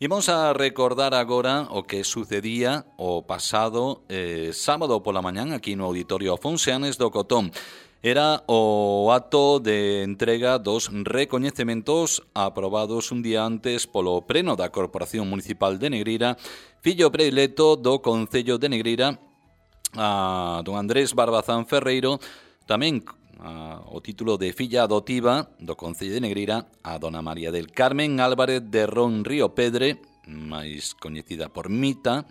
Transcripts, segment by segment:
Imos a recordar agora o que sucedía o pasado sábado pola mañán aquí no Auditorio Afonseanes do Cotón. Era o acto de entrega dos recoñecementos aprobados un día antes polo Pleno da Corporación Municipal de Negreira, fillo predilecto do Concello de Negreira, a don Andrés Barbazán Ferreiro, tamén o título de filla adotiva do Concello de Negreira a dona María del Carmen Álvarez de Ron Río Pedre, máis coñecida por Mita,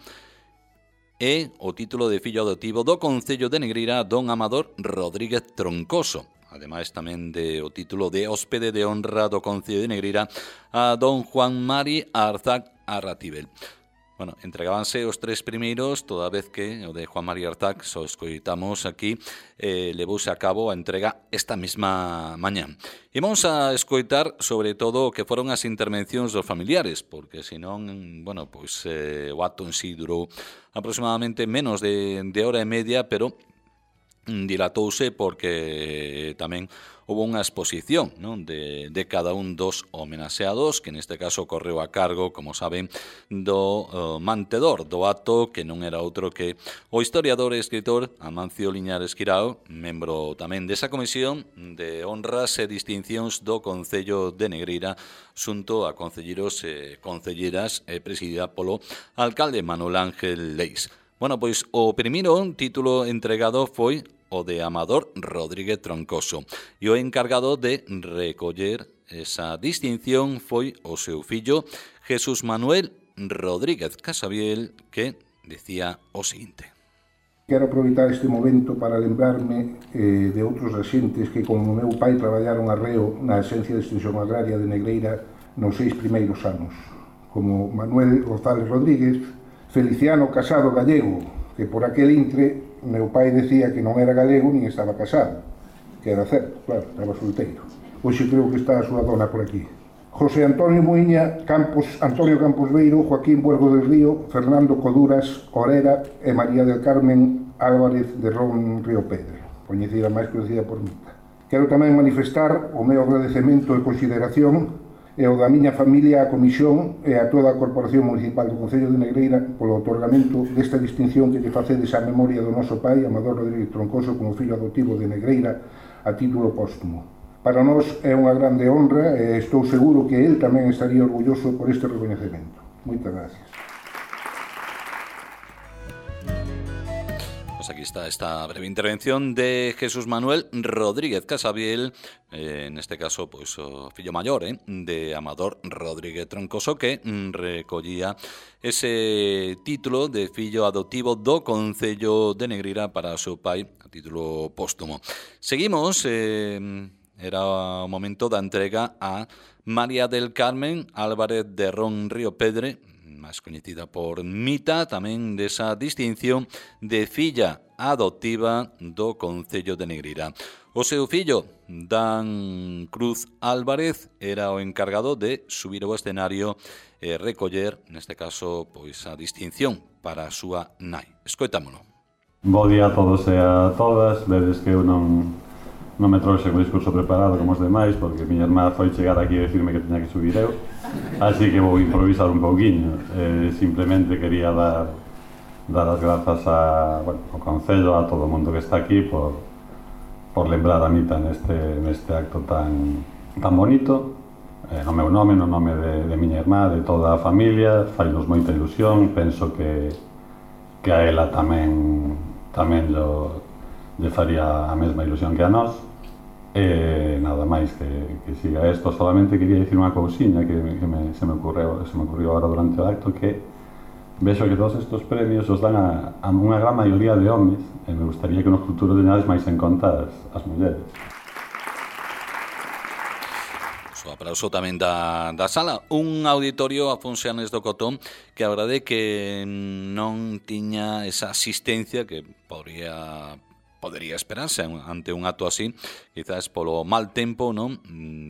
e o título de fillo adotivo do Concello de Negreira a don Amador Rodríguez Troncoso. Ademais tamén de o título de hóspede de honra do Concello de Negreira a don Juan Mari Arzac Arratibel. Bueno, entregábanse os tres primeiros, toda vez que o de Juan María Arzac, só escoitamos aquí, levouse a cabo a entrega esta mesma mañán. E vamos a escoitar sobre todo o que foron as intervencións dos familiares, porque senón, bueno, pois o acto en sí durou aproximadamente menos de hora e media, pero dilatouse porque tamén houve unha exposición, non, de cada un dos homenaxeados, que neste caso correu a cargo, como saben, do mantedor do acto, que non era outro que o historiador e escritor Amancio Liñares Quirao, membro tamén desa comisión de honras e distincións do Concello de Negreira, xunto a concelleiros e concelleras, presidida polo alcalde Manuel Ángel Leis. Bueno, pois o primeiro título entregado foi o de Amador Rodríguez Troncoso, e o encargado de recoller esa distinción foi o seu fillo Jesús Manuel Rodríguez Casabiel, que decía o seguinte: Quero aproveitar este momento para lembrarme de outros axentes que, como meu pai, traballaron arreo na Axencia de Extensión Agraria de Negreira nos 6 primeiros anos, como Manuel González Rodríguez, Feliciano Casado Gallego, que por aquel intre meu pai decía que non era galego nin estaba casado, que era certo, claro, estaba solteiro. Hoxe creo que está a súa dona por aquí. José Antonio Muiña Campos, Antonio Campos Beiro, Joaquín Buergo del Río, Fernando Coduras Orera e María del Carmen Álvarez de Ron Río Pedre, coñecida máis conhecida por Mita. Quero tamén manifestar o meu agradecemento e consideración e o da miña familia á Comisión e a toda a Corporación Municipal do Concello de Negreira polo otorgamento desta distinción que lle facedes á memoria do noso pai, Amador Rodríguez Troncoso, como fillo adotivo de Negreira a título póstumo. Para nós é unha grande honra e estou seguro que el tamén estaría orgulloso por este recoñecemento. Moitas gracias. Aquí está esta breve intervención de Jesús Manuel Rodríguez Casabiel, en este caso, pues, o fillo maior de Amador Rodríguez Troncoso, que recollía ese título de fillo adoptivo do Concello de Negreira para o seu pai, a título póstumo. Seguimos, era o momento da entrega a María del Carmen Álvarez de Ron Río Pedre, máis coñecida por Mita, tamén desa distinción de filla adoptiva do Concello de Negreira. O seu fillo, Dan Cruz Álvarez, era o encargado de subir ao escenario e recoller, neste caso, pois a distinción para a súa nai. Escoitámono. Bo día a todos e a todas. Vedes que eu non me trouxe o discurso preparado como os demais, porque miña irmá foi chegar aquí e decirme que tiña que subir eu, así que vou improvisar un pouquiño. Simplemente quería dar as grazas ao Concello, a todo o mundo que está aquí por lembrar a Mita neste acto tan bonito, no meu nome, no nome de miña irmá, de toda a familia. Fainos moita ilusión, penso que a ela tamén lle faría a mesma ilusión que a nós. Nada máis que siga isto. Solamente quería dicir unha cousiña que se me ocurriu agora durante o acto, que vexo que todos estes premios os dan a unha gran maioría de homes, e me gustaría que no futuro teñades máis en conta as mulleres. O aplauso tamén da sala. Un auditorio Afonseanes do Cotón que a verdade que non tiña esa asistencia que podería esperarse ante un acto así, quizás polo mal tempo, non,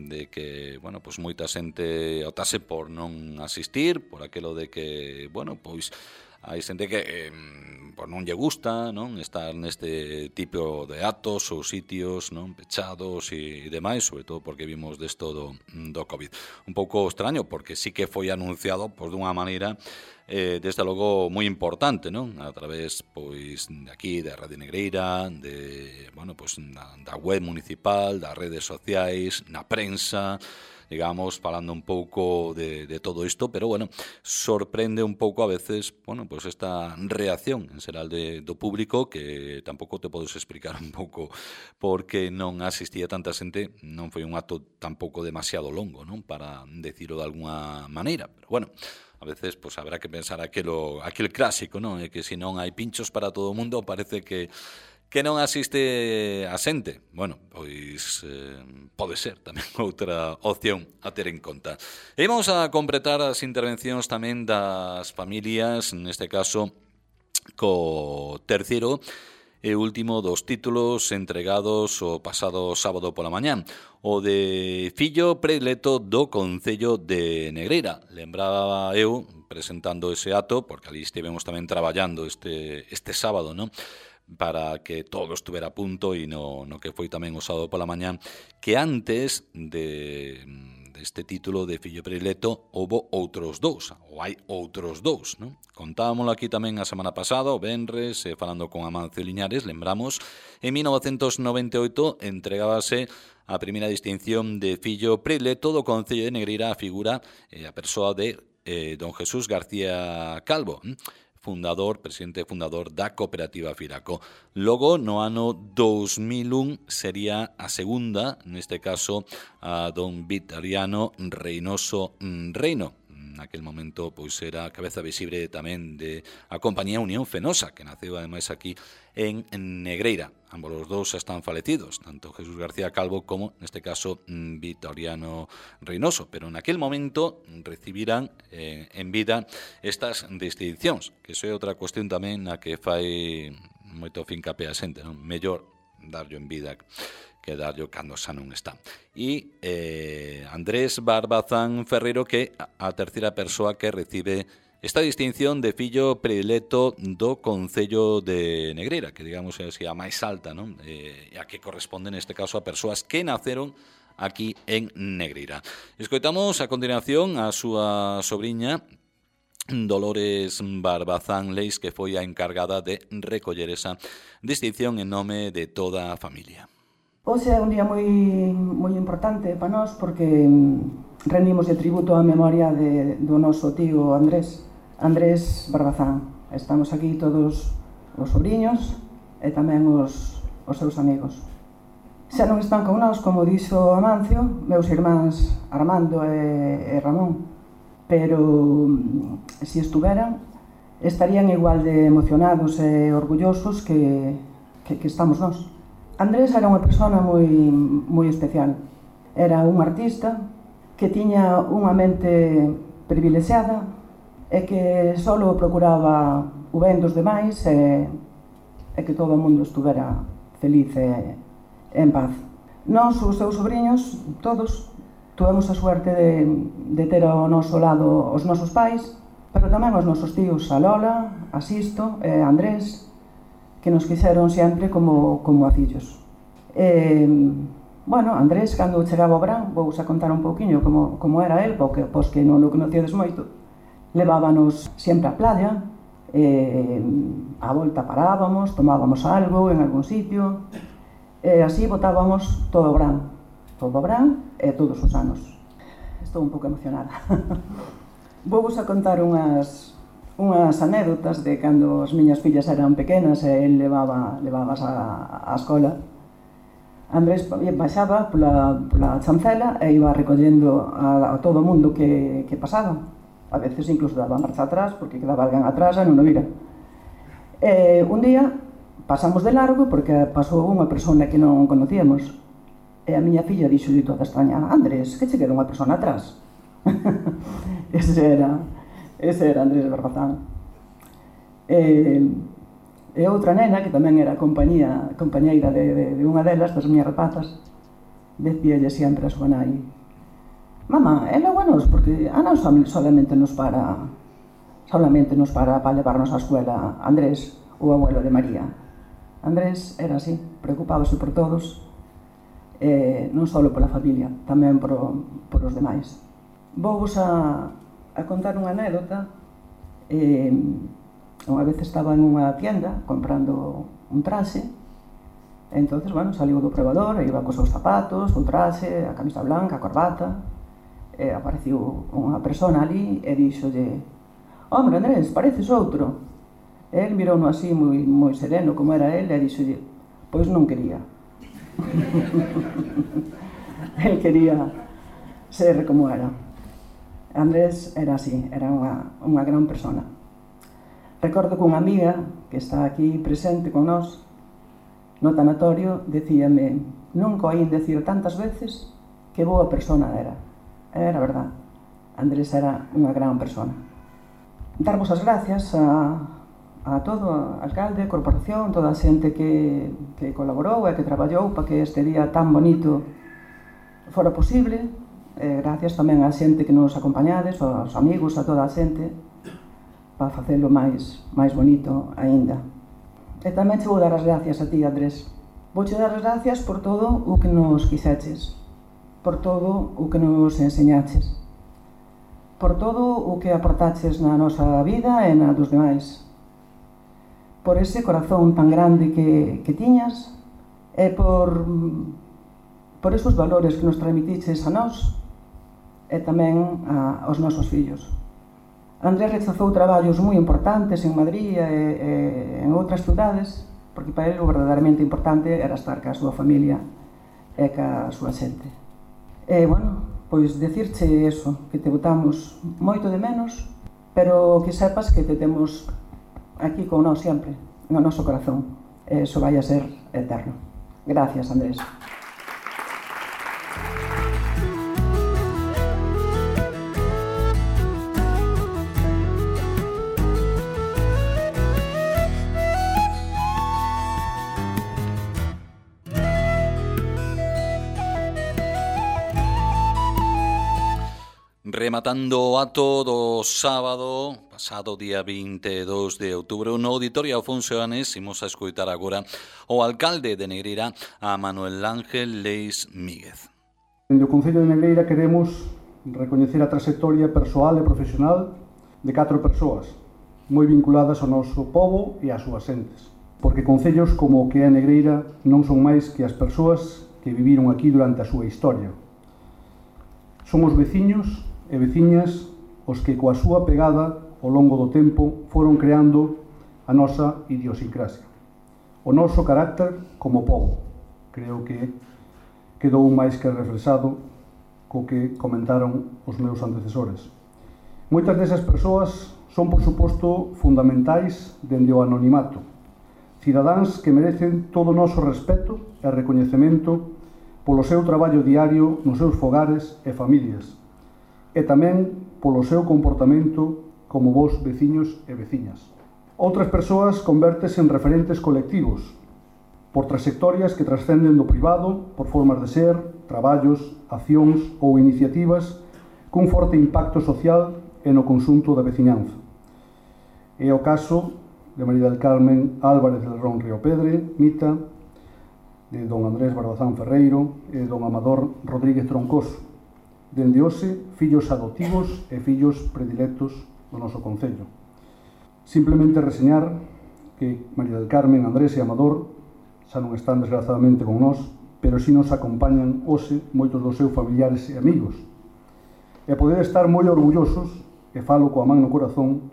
de que, bueno, pois moita xente optase por non asistir, por aquelo de que, bueno, pois hai xente que pues non lle gusta, non, estar neste tipo de actos ou sitios, non, pechados e demais, sobre todo porque vimos desto do COVID. Un pouco extraño, porque sí que foi anunciado pois dunha maneira desde logo moi importante, non? A través pois de aquí, da Radio Negreira, de, bueno, pois da web municipal, das redes sociais, na prensa, digamos, falando un pouco de todo isto, pero, bueno, sorprende un pouco a veces, bueno, pues esta reacción en xeral do público, que tampouco te podes explicar un pouco porque non asistía tanta xente, non foi un acto tampouco demasiado longo, non, para decirlo de alguna maneira, pero, bueno, a veces pues habrá que pensar aquel clásico, non, é que se non hai pinchos para todo o mundo, parece que non asiste a xente. Bueno, pois pode ser tamén outra opción a ter en conta. E vamos a completar as intervencións tamén das familias, neste caso co terceiro e último dos títulos entregados o pasado sábado pola mañán, o de fillo predilecto do Concello de Negreira. Lembraba eu, presentando ese acto, porque ali estivemos tamén traballando este sábado, non? Para que todo estuvera a punto e no que foi tamén o sábado pola mañán, que antes deste título de fillo predilecto houbo outros dous, ou hai outros dous, non? Contábamoslo aquí tamén a semana pasada, o venres, falando con Amancio Liñares, lembramos, en 1998 entregábase a primeira distinción de fillo predilecto do Concello de Negreira a figura, a persoa de don Jesús García Calvo, presidente fundador da cooperativa Firaco. Logo, no ano 2001, sería a segunda, neste caso, a don Victoriano Reynoso Reino. Naquel momento, pois, era a cabeza visible tamén de a compañía Unión Fenosa, que naceu, ademais, aquí en Negreira. Ambos os dous están falecidos, tanto Jesús García Calvo como, neste caso, Victoriano Reynoso. Pero naquel momento recibirán en vida estas distincións, que iso é outra cuestión tamén na que fai moito fincapé a xente, non? Mellor darlo en vida que darlo cando xa non está. E Andrés Barbazán Ferreiro, que a terceira persoa que recibe esta distinción de fillo predilecto do Concello de Negreira, que digamos é a máis alta, non? E a que corresponde neste caso a persoas que naceron aquí en Negreira. Escoitamos a continuación a súa sobriña Dolores Barbazán Leis, que foi a encargada de recoller esa distinción en nome de toda a familia. Hoxe é un día moi importante para nós porque rendimos de tributo á memoria do noso tío Andrés Barbazán. Estamos aquí todos os sobriños e tamén os seus amigos. Xa non están con nós, como dixo Amancio, meus irmáns Armando e Ramón, pero se estuveran estarían igual de emocionados e orgullosos que estamos nós. Andrés era unha persona moi especial. Era un artista que tiña unha mente privilexiada e que só procuraba o ben dos demais e que todo o mundo estuvera feliz e en paz. Nós, os seus sobrinhos, todos, tuvemos a suerte de ter ao noso lado os nosos pais, pero tamén os nosos tíos, a Lola, a Sisto e a Andrés, que nos quixeron sempre como a fillos. Bueno, Andrés, cando chegaba ao verán, vou a contar un pouquiño como era el, porque pos que non o conocíades moito, levábanos sempre á playa, a volta parábamos, tomábamos algo en algún sitio, e así botábamos todo o verán e todos os anos. Estou un pouco emocionada. Vou a contar unhas anécdotas de cando as miñas fillas eran pequenas e el levabas á escola. Andrés baixaba pola chancela e iba recollendo a todo o mundo que pasaba. A veces incluso daba marcha atrás porque quedaba alguén atrás e non o vira. Un día pasamos de largo porque pasou unha persona que non conocíamos e a miña filla dixolle toda extraña: Andrés, que che queda unha persona atrás? Ese era Andrés Barbazán. E outra nena, que tamén era compañeira de unha delas, das miñas rapazas, decíalle sempre a súa nai: mamá, é logo a nos, porque a nos solamente nos para solamente nos para levarnos á escuela Andrés, o abuelo de María. Andrés era así, preocupábase por todos, non só pola familia, tamén por os demais. Vou-vos a contar unha anécdota. Unha vez estaba en unha tienda comprando un traxe, e entonces, saliu do probador, e iba cos seus zapatos, o traxe, a camisa blanca, a corbata, e apareciu unha persona ali e díxolle: «Hombre, Andrés, pareces outro». El mirouno así moi sereno como era el e díxolle: «Pois non quería». El quería ser como era. Andrés era así, era unha gran persona. Recordo que unha amiga que está aquí presente con nós no tanatorio decíame: «Nunca oín decir tantas veces que boa persona era». Era verdad, Andrés era unha gran persona. Darvos as gracias a todo, o alcalde, a corporación, toda a xente que colaborou e que traballou para que este día tan bonito fora posible. Gracias tamén á xente que nos acompañades, aos amigos, a toda a xente, para facelo máis bonito aínda. E tamén che vou dar as gracias a ti, Andrés. Vouche dar as gracias por todo o que nos quixeches, por todo o que nos enseñaches, por todo o que aportaches na nosa vida e na dos demais, por ese corazón tan grande que tiñas e por esos valores que nos transmitiches a nós e tamén aos nosos fillos. Andrés rechazou traballos moi importantes en Madrid e en outras cidades, porque para ele o verdadeiramente importante era estar ca súa familia e ca súa xente. E, pois decirche eso, que te botamos moito de menos, pero que sepas que te temos aquí con nós sempre, no noso corazón. Eso vai a ser eterno. Gracias, Andrés. Rematando o ato do sábado, pasado día 22 de outubro, no Auditorio Afonso Anes, imos a escoitar agora o alcalde de Negreira, a Manuel Ángel Leis Míguez. Dende o Concello de Negreira queremos recoñecer a trayectoria persoal e profesional de 4 persoas moi vinculadas ao noso pobo e ás súas xentes, porque concellos como o que é Negreira non son máis que as persoas que viviron aquí durante a súa historia. Son os veciños e veciñas os que coa súa pegada ao longo do tempo foron creando a nosa idiosincrasia, o noso carácter como pobo. Creo que quedou máis que reflexado co que comentaron os meus antecesores. Moitas desas persoas son, por suposto, fundamentais dende o anonimato, cidadáns que merecen todo o noso respeto e recoñecemento polo seu traballo diario nos seus fogares e familias, e tamén polo seu comportamento como vos veciños e veciñas. Outras persoas convértese en referentes colectivos, por trayectorias que trascenden do privado, por formas de ser, traballos, accións ou iniciativas cun forte impacto social e no conxunto da veciñanza. É o caso de María del Carmen Álvarez del Ron Riopedre, Mita, de don Andrés Barbazán Ferreiro e don Amador Rodríguez Troncoso. Dende hoxe, fillos adoptivos e fillos predilectos do noso Concello. Simplemente reseñar que María del Carmen, Andrés e Amador xa non están desgraciadamente con nós, pero si nos acompañan hoxe moitos dos seus familiares e amigos. E poder estar moi orgullosos, e falo coa man no corazón,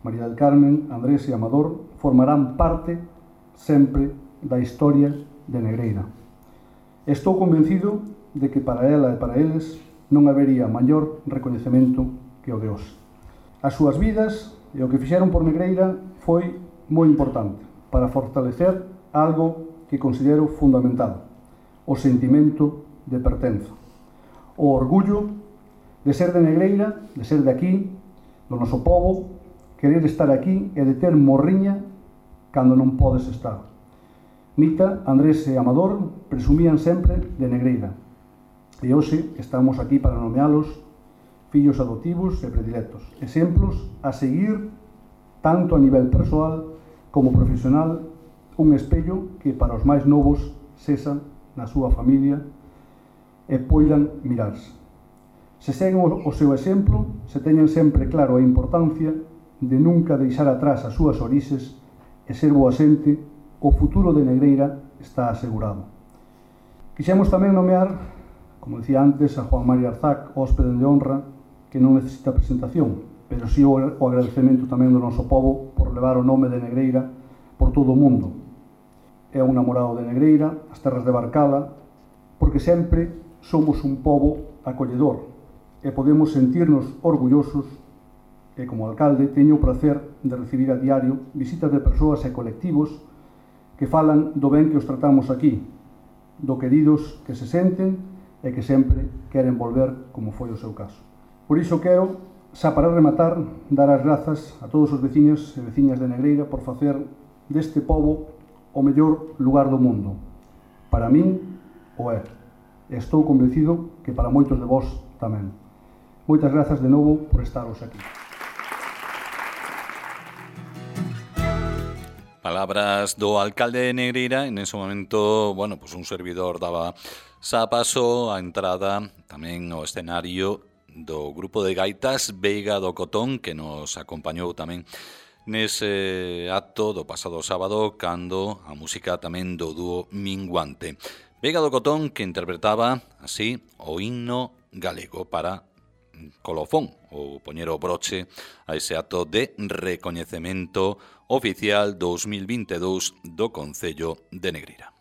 María del Carmen, Andrés e Amador formarán parte sempre da historia de Negreira. Estou convencido de que para ela e para eles non habería maior recoñecemento que o de hoxe. As súas vidas e o que fixeron por Negreira foi moi importante para fortalecer algo que considero fundamental, o sentimento de pertenza, o orgullo de ser de Negreira, de ser de aquí, do noso pobo, querer estar aquí e de ter morriña cando non podes estar. Mita, Andrés e Amador presumían sempre de Negreira, e hoxe estamos aquí para nomealos fillos adoptivos e predilectos, exemplos a seguir tanto a nivel persoal como profesional, un espello que para os máis novos sexa na súa familia e poidan mirarse. Se seguen o seu exemplo, se teñen sempre claro a importancia de nunca deixar atrás as súas orixes e ser boa xente, o futuro de Negreira está asegurado. Quixemos tamén nomear, como dicía antes, a Juan María Arzac, hóspede de honra, que non necesita presentación, pero si o agradecemento tamén do noso povo por levar o nome de Negreira por todo o mundo. É un namorado de Negreira, as terras de Barcala, porque sempre somos un pobo acolledor e podemos sentirnos orgullosos e, como alcalde, teño o prazer de recibir a diario visitas de persoas e colectivos que falan do ben que os tratamos aquí, do queridos que se senten e que sempre queren volver, como foi o seu caso. Por iso quero, xa para rematar, dar as grazas a todos os veciños e veciñas de Negreira por facer deste pobo o mellor lugar do mundo. Para min, o é. E estou convencido que para moitos de vós tamén. Moitas grazas de novo por estaros aquí. Palabras do alcalde de Negreira. En ese momento, bueno, pues un servidor daba xa paso a entrada tamén ao escenario do grupo de gaitas Veiga do Cotón, que nos acompañou tamén nese acto do pasado sábado, cando a música tamén do dúo Minguante. Veiga do Cotón, que interpretaba así o himno galego para colofón, ou poñer o broche a ese acto de recoñecemento oficial 2022 do Concello de Negreira.